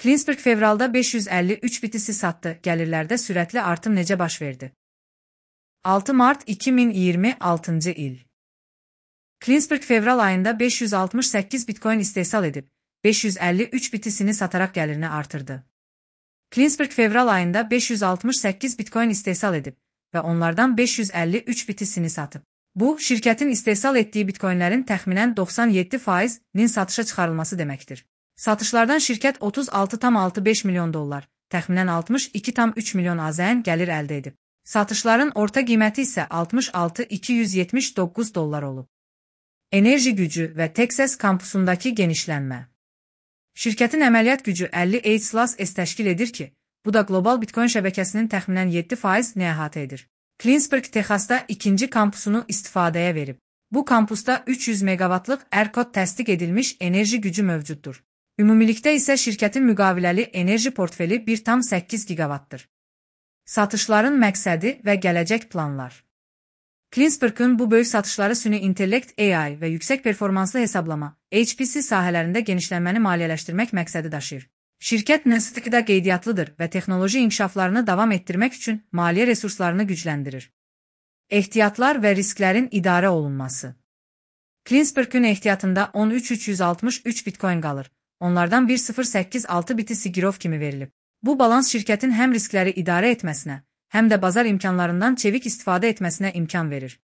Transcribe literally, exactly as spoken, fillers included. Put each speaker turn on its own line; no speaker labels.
Cleansburg fevralda beş yüz əlli üç bitisi satdı. Gəlirlərdə sürətli artım necə baş verdi? altı mart iki min iyirmi altıncı il. Cleansburg fevral ayında beş yüz altmış səkkiz bitcoin istehsal edib, beş yüz əlli üç bitisini sataraq gəlirini artırdı. Cleansburg fevral ayında beş yüz altmış səkkiz bitcoin istehsal edib və onlardan beş yüz əlli üç bitisini satıb. Bu, şirkətin istehsal etdiyi bitcoinlərin təxminən doxsan yeddi faizinin satışa çıxarılması deməkdir. Satışlardan şirkət otuz altı tam altı beş milyon dollar, təxminən altmış iki tam üç milyon AZN gəlir əldə edib. Satışların orta qiyməti isə altmış altı min iki yüz yetmiş doqquz dollar olub. Enerji gücü və Texas kampusundakı genişlənmə. Şirkətin əməliyyat gücü əlli eight təşkil edir ki, bu da qlobal bitcoin şəbəkəsinin təxminən yeddi faizini əhatə edir. Cleansburg, Texasda ikinci kampusunu istifadəyə verib. Bu kampusda üç yüz meqavatlıq ERCOT təsdiq edilmiş enerji gücü mövcuddur. Ümumilikdə isə şirkətin müqaviləli enerji portfeli bir tam səkkiz giqavatdır. Satışların məqsədi və gələcək planlar. Cleansburg'un bu böyük satışları süni intellekt A I və yüksək performanslı hesablama H P C sahələrində genişlənməni maliyyələşdirmək məqsədi daşıyır. Şirkət Nasdaqda qeydiyyatlıdır və texnoloji inkişaflarını davam etdirmək üçün maliyyə resurslarını gücləndirir. Ehtiyatlar və risklərin idarə olunması. Cleansburg'un ehtiyatında on üç min üç yüz altmış üç bitcoin qalır. Onlardan bir sıfır səkkiz altı biti Sigirov kimi verilib. Bu balans şirkətin həm riskləri idarə etməsinə, həm də bazar imkanlarından çevik istifadə etməsinə imkan verir.